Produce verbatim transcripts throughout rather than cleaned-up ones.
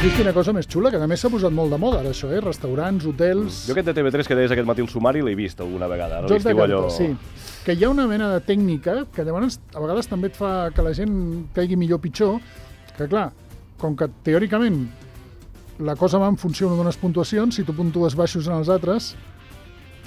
has vist quina cosa més xula, que a més s'ha posat molt de moda ara, això, eh? Restaurants, hotels... Jo aquest de T V tres que deies aquest matí el sumari l'he vist alguna vegada. No? Joc de cartes, allò... sí. Que hi ha una mena de tècnica que llavors a vegades també et fa que la gent caigui millor o pitjor, que clar, com que teòricament la cosa va en funció d'unes puntuacions, si tu puntues baixos en els altres,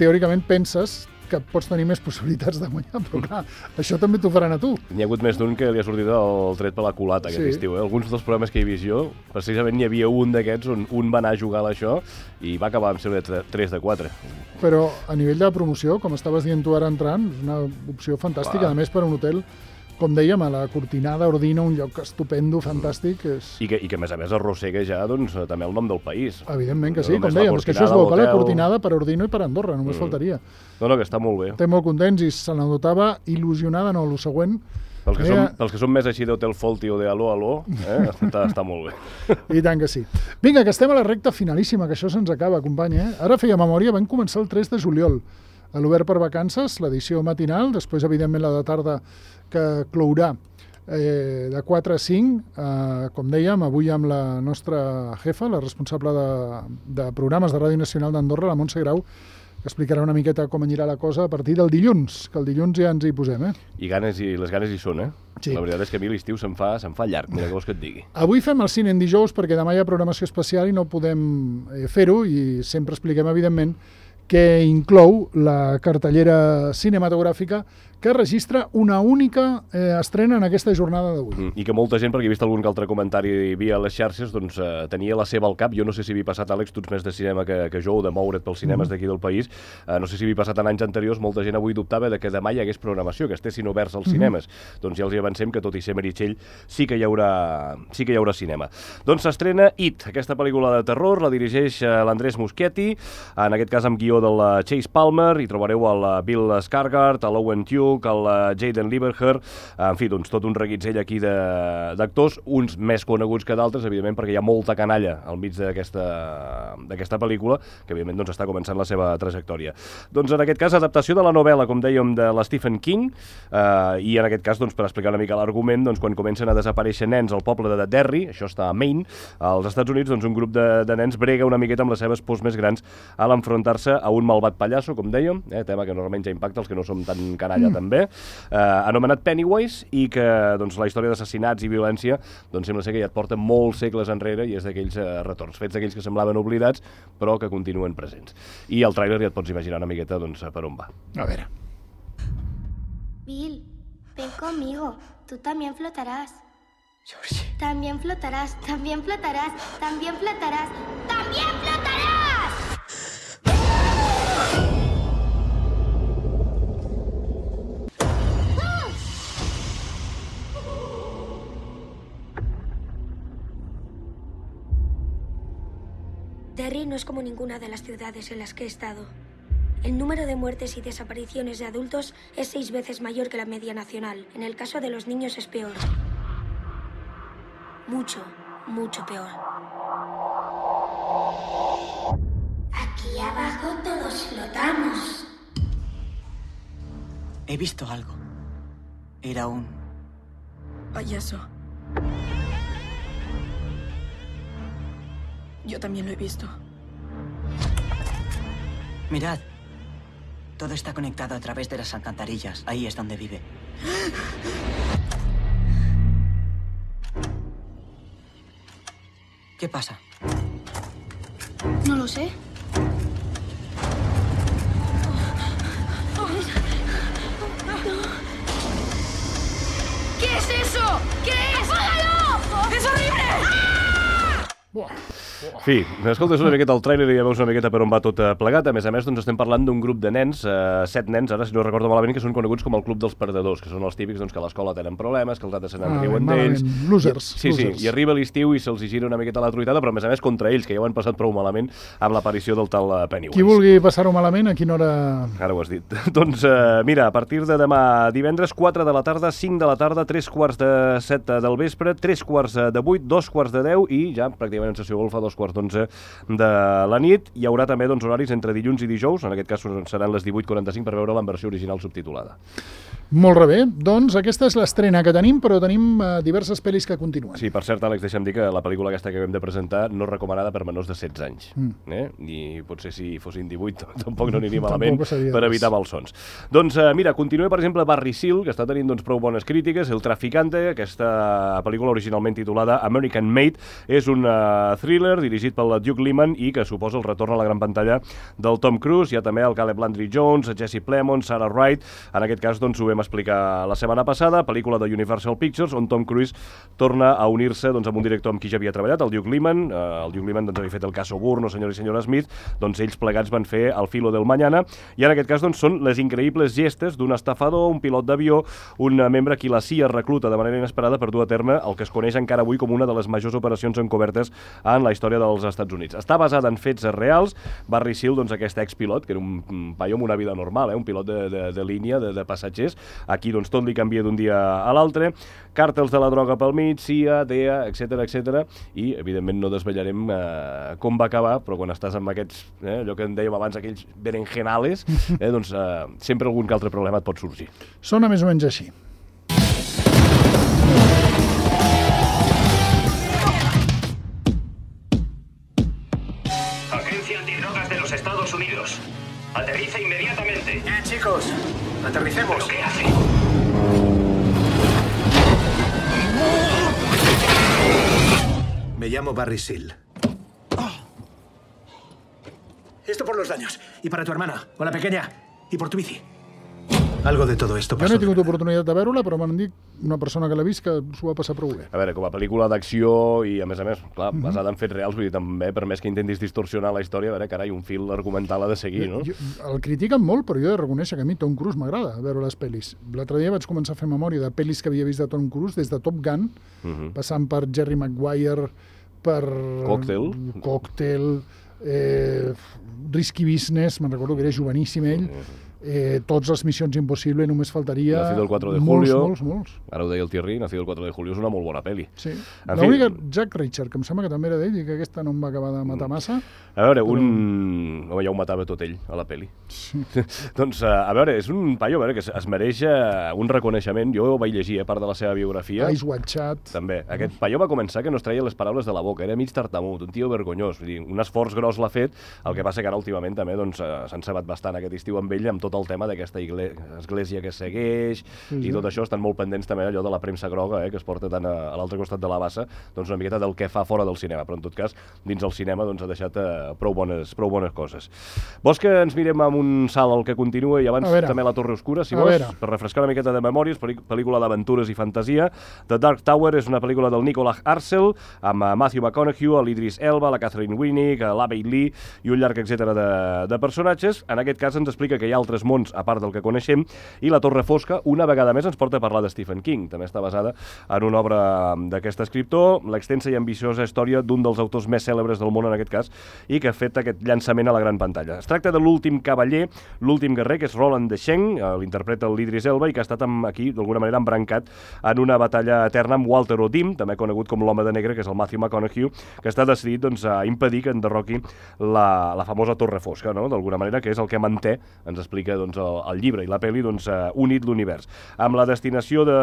teòricament penses que pots tenir més possibilitats de guanyar, però clar, això també t'ho faran a tu. N'hi ha hagut més d'un que li ha sortit el tret per la culata aquest Sí. estiu. Eh? Alguns dels programes que he vist jo, precisament n'hi havia un d'aquests on un va anar a jugar a això i va acabar amb ser tres de quatre. Però a nivell de promoció, com estaves dient tu ara entrant, és una opció fantàstica, Clar. a més per a un hotel, com dèiem, a la Cortinada, Ordino, un lloc estupendo, fantàstic. És... I que, I que a més a més arrossega ja doncs, també el nom del país. Evidentment que sí, No com només la dèiem, és que això és bo, Cortinada, per la l'hotel. Cortinada, per Ordino i per Andorra, només Mm. faltaria. No, no, que està molt bé. Estem molt contents i se la notava il·lusionada, no, el següent. Pels que, Era- som, pels que som més així d'Hotel Folti o de Aló Aló, eh? està, està molt bé. I tant que sí. Vinga, que estem a la recta finalíssima, que això se'ns acaba, company, eh? Ara feia memòria, vam començar el tres de juliol, a l'Obert per Vacances, l'edició matinal, després, evidentment, la de tarda que clourà eh, de quatre a cinc, eh, com dèiem, avui amb la nostra jefa, la responsable de, de programes de Ràdio Nacional d'Andorra, la Montse Grau, que explicarà una miqueta com anirà la cosa a partir del dilluns, que el dilluns ja ens hi posem, eh? I ganes i les ganes hi són, eh? Sí. La veritat és que a mi l'estiu se'm fa, se'm fa llarg, mira què vols que et digui. Avui fem el cine en dijous perquè demà hi ha programació especial i no podem eh, fer-ho i sempre expliquem, evidentment, que inclou la cartellera cinematogràfica que registra una única eh, estrena en aquesta jornada d'avui. Mm, I que molta gent, perquè he vist algun que altre comentari via les xarxes, doncs eh, tenia la seva al cap. Jo no sé si havia passat, Àlex, tu ets més de cinema que, que jo, o de moure't pels cinemes d'aquí del país. Eh, no sé si havia passat en anys anteriors, molta gent avui dubtava de que demà hi hagués programació, que estessin oberts als cinemes. Doncs ja els hi avancem que, tot i ser Meritxell, sí que hi haurà, sí que hi haurà cinema. Doncs s'estrena It, aquesta pel·lícula de terror, la dirigeix eh, l'Andrés Muschietti, en aquest cas amb guió del eh, Chase Palmer, hi trobareu el eh, Bill Skarsgård, l'Owen Tew, el uh, Jaden Lieberher, en fi, doncs tot un reguitzell aquí d'actors, uns més coneguts que d'altres, evidentment, perquè hi ha molta canalla al mig d'aquesta pel·lícula, que evidentment doncs, està començant la seva trajectòria. Doncs en aquest cas, adaptació de la novel·la, com dèiem, de la Stephen King, eh, i en aquest cas, doncs, per explicar una mica l'argument, doncs, quan comencen a desaparèixer nens al poble de Derry, això està a Maine, als Estats Units, doncs, un grup de, de nens brega una miqueta amb les seves pors més grans a l'enfrontar-se a un malvat pallasso, com dèiem, eh, tema que normalment ja impacta els que no som tan canalla mm. també, eh, anomenat Pennywise, i que doncs, la història d'assassinats i violència doncs, sembla ser que ja et porta molts segles enrere i és d'aquells eh, retorns, fets d'aquells que semblaven oblidats però que continuen presents. I el tràiler ja et pots imaginar una miqueta doncs, per on va. A veure. Bill, ven conmigo. Tú también flotarás. Georgie. También flotarás, también flotarás, también flotarás, también flotarás. Derry no es como ninguna de las ciudades en las que he estado. El número de muertes y desapariciones de adultos es seis veces mayor que la media nacional. En el caso de los niños es peor. Mucho, mucho peor. Aquí abajo todos flotamos. He visto algo. Era un... payaso. Yo también lo he visto. Mirad. Todo está conectado a través de las alcantarillas. Ahí es donde vive. ¿Qué pasa? No lo sé. ¿Qué es eso? ¿Qué es? ¡Apágalo! ¡Es horrible! Buah. En fi, escoltes una miqueta el tràiler i ja veus una miqueta per on va tot plegat. A més a més, doncs estem parlant d'un grup de nens, eh, set nens, ara si no recordo malament, que són coneguts com el Club dels Perdedors, que són els típics doncs, que a l'escola tenen problemes, que els altres se n'en Ah, riuen malament. d'ells. Losers, I, sí, losers. sí, i arriba l'estiu i se'ls hi gira una miqueta la truitada, però a més a més contra ells, que ja ho han passat prou malament amb l'aparició del tal eh, Pennywise. Qui vulgui passar-ho malament, a quina hora... Ara ho has dit. Doncs eh, mira, a partir de demà divendres, quatre de la tarda, cinc de la tarda, tres quarts de set del vespre, tres quarts de vuit, dos quarts de deu i ja pràcticament en sessió golfa dos dos quarts d'onze de la nit. Hi haurà també doncs, horaris entre dilluns i dijous, en aquest cas seran les divuit quaranta-cinc per veure la versió original subtitulada. Molt bé, doncs aquesta és l'estrena que tenim, però tenim uh, diverses pel·lis que continuen. Sí, per cert, Àlex, deixa'm dir que la pel·lícula aquesta que hem de presentar no és recomanada per menors de setze anys. Mm. Eh? I potser si fossin divuit tampoc no aniria malament per evitar malsons. Doncs uh, mira, continua per exemple Barry Seal, que està tenint doncs, prou bones crítiques, El Traficante, aquesta pel·lícula originalment titulada American Made, és un uh, thriller dirigit pel Duke Liman i que suposa el retorn a la gran pantalla del Tom Cruise. Hi ha també el Caleb Landry Jones, Jesse Plemons, Sarah Wright. En aquest cas doncs, ho vam explicar la setmana passada, pel·lícula de Universal Pictures, on Tom Cruise torna a unir-se doncs, amb un director amb qui ja havia treballat, el Duke Liman. Eh, el Duke Liman doncs, havia fet el cas Oburno, Senyor i Senyora Smith, doncs ells plegats van fer El filo del mañana, i en aquest cas doncs, són les increïbles gestes d'un estafador, un pilot d'avió, un membre a qui la C I A recluta de manera inesperada per dur a terme el que es coneix encara avui com una de les majors operacions encobertes en la història dels Estats Units. Està basada en fets reals. Barry Seal, doncs, aquest expilot, que era un paio amb una vida normal, eh, un pilot de, de, de línia, de, de passatgers, aquí doncs, tot li canvia d'un dia a l'altre, càrtels de la droga pel mig, C I A, D E A, etcètera, etcètera, i evidentment no desvetllarem eh, com va acabar, però quan estàs amb aquests, eh, allò que en dèiem abans, aquells berenjenales, eh, doncs eh, sempre algun que altre problema et pot sorgir. Sona més o menys així. Agencia Antidrogas de los Estados Unidos. Aterriza inmediatamente. Eh, chicos, aterricemos. ¿Pero qué hace? Me llamo Barry Seal. Esto por los daños. Y para tu hermana, o la pequeña. Y por tu bici. Algo de todo esto Jo pasó. no he tingut oportunitat de veure-la, però m'han dit una persona que l'ha vist que s'ho va passar prou bé. A veure, com a pel·lícula d'acció i, a més a més, clar, basada en fets reals, vull dir, també, per més que intentis distorsionar la història, a veure, carai, un fil argumental ha de seguir, no? Jo, el critiquen molt, però jo he de reconèixer que a mi Tom Cruise m'agrada veure les pel·lis. L'altre dia vaig començar a fer memòria de pel·lis que havia vist de Tom Cruise, des de Top Gun, uh -huh. passant per Jerry Maguire, per... Cocktail. Cocktail, eh, Risky Business, me'n recordo que era joveníssim ell, uh -huh. Eh, tots les Missions Impossible, només faltaria... Nacido el quatre de molts, julio. Molts, molts, Ara ho deia el Thierry, Nacido el quatre de julio és una molt bona pel·li. Sí. L'única, fi... Jack Reacher, que em sembla que també era d'ell i que aquesta no em va acabar de matar massa. A veure, però... un... Home, ja ho matava tot ell, a la pel·li. Sí. Doncs, a veure, és un paio a veure, que es mereix un reconeixement. Jo ho vaig llegir, a part de la seva biografia. Ice Watch Chat. També. Aquest paio va començar que no es treia les paraules de la boca, era mig tartamut, un tio vergonyós. Vull dir, un esforç gros l'ha fet, el que passa que ara últimament també doncs, s'han cebat bastant aquest estiu amb ell amb tot el tema d'aquesta església que segueix, sí, sí. I tot això estan molt pendents també allò de la premsa groga, eh, que es porta tant a, a l'altre costat de la bassa, doncs una miqueta del que fa fora del cinema, però en tot cas dins el cinema doncs, ha deixat eh, prou, bones, prou bones coses. Vols que ens mirem amb un salt al que continua i abans també La Torre Oscura, si vols, per refrescar una miqueta de memòries, pel·lícula d'aventures i fantasia. The Dark Tower és una pel·lícula del Nicolas Arcel, amb Matthew McConaughey, l'Idris Elba, la Catherine Winnick, l'Abbey Lee i un llarg etcètera de, de personatges. En aquest cas ens explica que hi ha altres mons a part del que coneixem, i La Torre Fosca, una vegada més, ens porta a parlar de Stephen King. També està basada en una obra d'aquest escriptor, l'extensa i ambiciosa història d'un dels autors més cèlebres del món en aquest cas, i que ha fet aquest llançament a la gran pantalla. Es tracta de l'últim cavaller, l'últim guerrer, que és Roland Deschain, l'interpreta l'Idris Elba, i que ha estat amb, aquí, d'alguna manera, embrancat en una batalla eterna amb Walter O'Dim, també conegut com l'home de negre, que és el Matthew McConaughey, que està decidit doncs, a impedir que enderroqui la, la famosa Torre Fosca, no? D'alguna manera, que és el que manté, ens explica doncs, el, el llibre i la pel·li, doncs, uh, unit l'univers. Amb la destinació de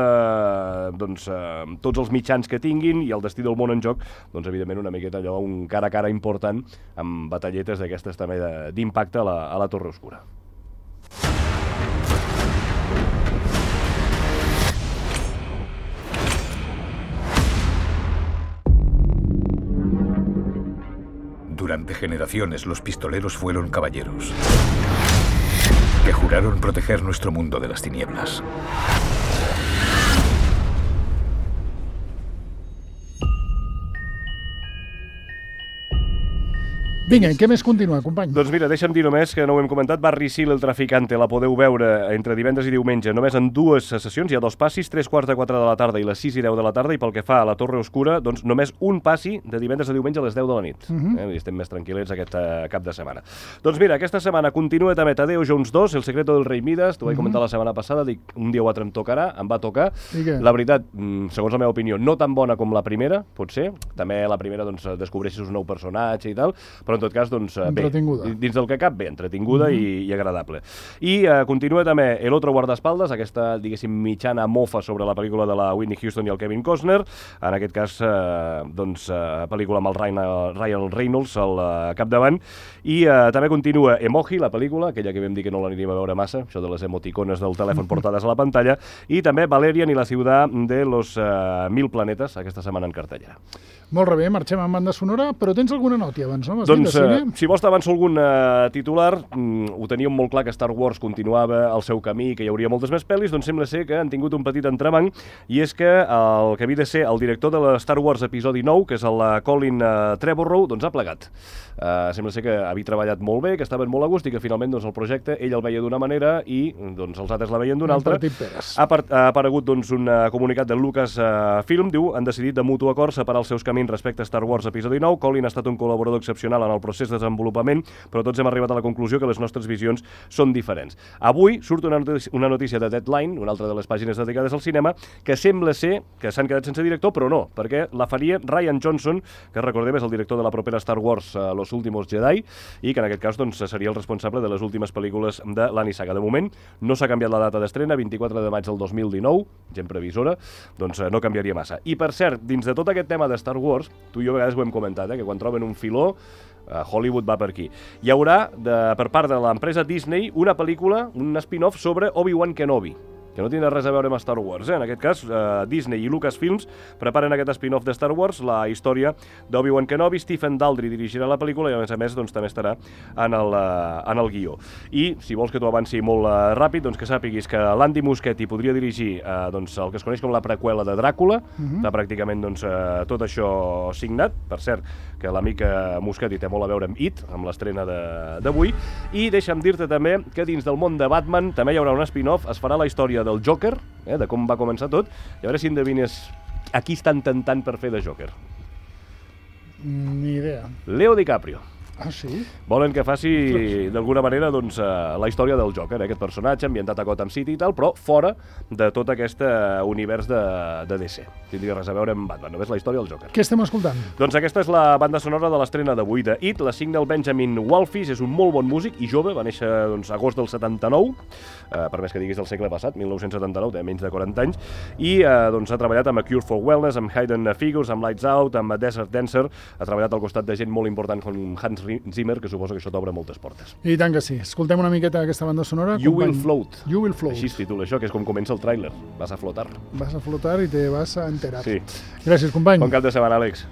doncs, uh, tots els mitjans que tinguin i el destí del món en joc, doncs, evidentment, una miqueta allò, un cara a cara important, amb batalletes d'aquestes també d'impacte a, la, a la Torre Oscura. Durante generaciones los pistoleros fueron caballeros que juraron proteger nuestro mundo de las tinieblas. Vinga, què més continua, company? Doncs mira, deixa'm dir només que no ho hem comentat, Barry Seal, el traficante, la podeu veure entre divendres i diumenge, només en dues sessions, hi ha dos passis, tres quarts de quatre de la tarda i les sis i deu de la tarda, i pel que fa a la Torre Oscura, doncs només un passi de divendres a diumenge a les deu de la nit. Uh -huh. eh? Estem més tranquil·lets aquest uh, cap de setmana. Doncs mira, aquesta setmana continua també Tadeo Jones dos, El secreto del rei Midas, t'ho vaig comentar uh -huh. la setmana passada, dic, un dia o altre em tocarà, em va tocar. La veritat, segons la meva opinió, no tan bona com la primera, potser, també la primera doncs, descobreixes un nou personatge i tal, però en tot cas, doncs, bé, dins del que cap, bé, entretinguda uh -huh. i, i agradable. I uh, continua també El otro guardaespaldas, aquesta, diguéssim, mitjana mofa sobre la pel·lícula de la Whitney Houston i el Kevin Costner, en aquest cas, uh, doncs, uh, pel·lícula amb el Ryan, Ryan Reynolds al uh, capdavant, i uh, també continua Emoji, la pel·lícula, aquella que vam dir que no l'aniríem a veure massa, això de les emoticones del telèfon portades a la pantalla, i també Valerian i la ciutat de los uh, mil planetes, aquesta setmana en cartellera. Molt bé, marxem amb banda sonora, però tens alguna nòtia abans, no? Doncs, uh, si vols t'avanço algun uh, titular, mm, ho teníem molt clar que Star Wars continuava el seu camí, que hi hauria moltes més pel·lis, doncs sembla ser que han tingut un petit entrebanc, i és que el que havia de ser el director de la Star Wars episodi nou, que és el uh, Colin uh, Trevorrow, doncs ha plegat. Uh, sembla ser que havia treballat molt bé, que estaven molt a gust i que finalment doncs, el projecte ell el veia d'una manera i doncs, els altres la veien d'una altra. Ha, ha aparegut doncs, un uh, comunicat de Lucasfilm, uh, diu, han decidit de mutu acord separar els seus camins respecte a Star Wars episodi nou. Colin ha estat un col·laborador excepcional en el procés de desenvolupament, però tots hem arribat a la conclusió que les nostres visions són diferents. Avui surt una notícia, una notícia de Deadline, una altra de les pàgines dedicades al cinema, que sembla ser que s'han quedat sense director, però no, perquè la faria Rian Johnson, que recordem és el director de la propera Star Wars uh, Los Últimos Jedi, i que en aquest cas doncs, seria el responsable de les últimes pel·lícules de la Nissaga. De moment no s'ha canviat la data d'estrena, vint-i-quatre de maig del dos mil dinou, gent previsora, doncs uh, no canviaria massa. I per cert, dins de tot aquest tema de Star Wars, tu i jo a vegades ho hem comentat, eh, que quan troben un filó, uh, Hollywood va per aquí. Hi haurà, de, per part de l'empresa Disney, una pel·lícula, un spin-off sobre Obi-Wan Kenobi, que no tindrà res a veure amb Star Wars. Eh? En aquest cas, eh, Disney i Lucasfilms preparen aquest spin-off de Star Wars, la història d'Obi-Wan Kenobi. Stephen Daldry dirigirà la pel·lícula i, a més a més, doncs, també estarà en el, uh, en el guió. I, si vols que t'ho avanci molt uh, ràpid, doncs que sàpiguis que l'Andy Muschietti podria dirigir uh, doncs, el que es coneix com la preqüela de Dràcula. Uh-huh. Està pràcticament doncs, uh, tot això signat. Per cert, que l'amic Muschietti té molt a veure amb It, amb l'estrena d'avui. I deixa'm dir-te també que dins del món de Batman també hi haurà un spin-off, es farà la història del Joker, eh, de com va començar tot, i a veure si endevines a qui estan tentant per fer de Joker. Ni idea. Leo DiCaprio. Ah, sí? Volen que faci, d'alguna manera, doncs, uh, la història del Joker, eh, aquest personatge ambientat a Gotham City i tal, però fora de tot aquest uh, univers de, de D C. Tindria res a veure amb Batman, només la història del Joker. Què estem escoltant? Doncs aquesta és la banda sonora de l'estrena d'avui de It, la signa el Benjamin Wallfish, és un molt bon músic i jove, va néixer doncs, agost del setanta-nou, uh, per més que diguis del segle passat, mil nou-cents setanta-nou, té menys de quaranta anys, i uh, doncs, ha treballat amb A Cure for Wellness, amb Hidden Figures, amb Lights Out, amb Desert Dancer, ha treballat al costat de gent molt important com Hans Zimmer, que suposo que això t'obre moltes portes. I tant que sí. Escoltem una miqueta aquesta banda sonora. You Will Float. You Will Float. Així es titula això, que és com comença el tràiler. Vas a flotar. Vas a flotar i te vas a enterar. Sí. Gràcies, company. Bon cap de setmana, Àlex.